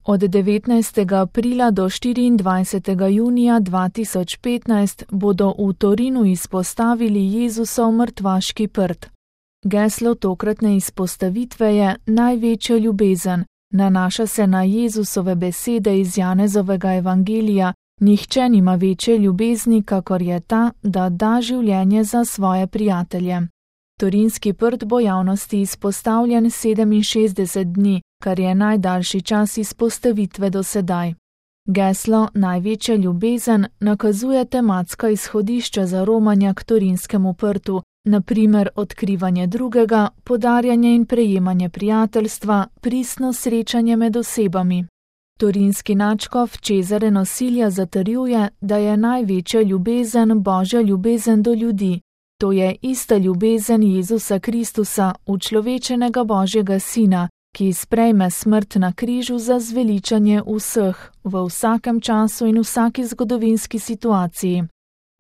Od 19. aprila do 24. junija 2015 bodo v Torinu izpostavili Jezusov mrtvaški prt. Geslo tokratne izpostavitve je Največja ljubezen. Nanaša se na Jezusove besede iz Janezovega evangelija: Nihče nima večje ljubezni, kakor je ta, da da življenje za svoje prijatelje. Torinski prt bo javnosti izpostavljen 67 dni, kar je najdaljši čas izpostavitve do sedaj. Geslo Največja ljubezen nakazuje tematska izhodišča za romanja k Torinskemu prtu, na primer odkrivanje drugega, podarjanje in prejemanje prijateljstva, pristno srečanje med osebami. Torinski nadškof Cesare Nosilja zatrjuje, da je največja ljubezen Božja ljubezen do ljudi. To je ista ljubezen Jezusa Kristusa, učlovečenega Božjega Sina, ki sprejme smrt na križu za zveličanje vseh, v vsakem času in vsaki zgodovinski situaciji.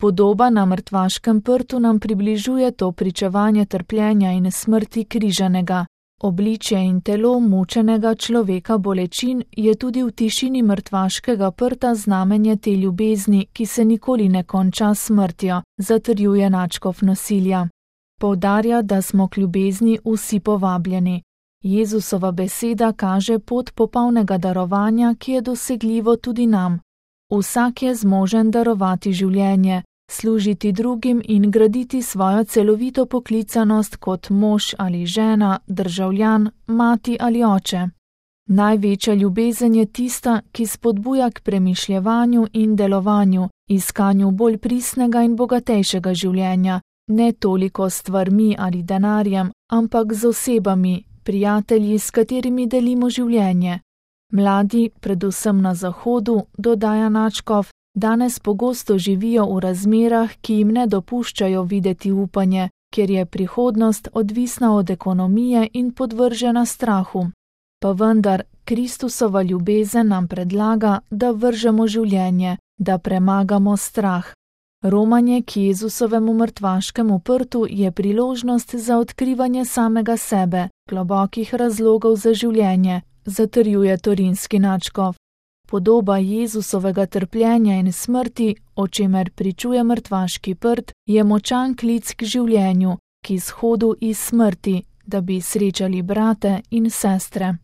Podoba na mrtvaškem prtu nam približuje to pričevanje trpljenja in smrti križanega. Obličje in telo mučenega človeka bolečin je tudi v tišini mrtvaškega prta znamenje te ljubezni, ki se nikoli ne konča s smrtjo, zatrjuje nadškof Nosilja. Poudarja, da smo k ljubezni vsi povabljeni. Jezusova beseda kaže pot popolnega darovanja, ki je dosegljivo tudi nam. Vsak je zmožen darovati življenje, služiti drugim in graditi svojo celovito poklicanost kot mož ali žena, državljan, mati ali oče. Največja ljubezen je tista, ki spodbuja k premišljevanju in delovanju, iskanju bolj pristnega in bogatejšega življenja, ne toliko s stvarmi ali denarjem, ampak z osebami, prijatelji, s katerimi delimo življenje. Mladi, predvsem na Zahodu, dodaja nadškof, danes pogosto živijo v razmerah, ki jim ne dopuščajo videti upanje, ker je prihodnost odvisna od ekonomije in podvržena strahu. Pa vendar, Kristusova ljubezen nam predlaga, da vržemo življenje, da premagamo strah. Romanje k Jezusovemu mrtvaškemu prtu je priložnost za odkrivanje samega sebe, globokih razlogov za življenje, zatrjuje torinski nadškof. Podoba Jezusovega trpljenja in smrti, o čemer pričuje mrtvaški prt, je močan klic k življenju, k izhodu iz smrti, da bi srečali brate in sestre.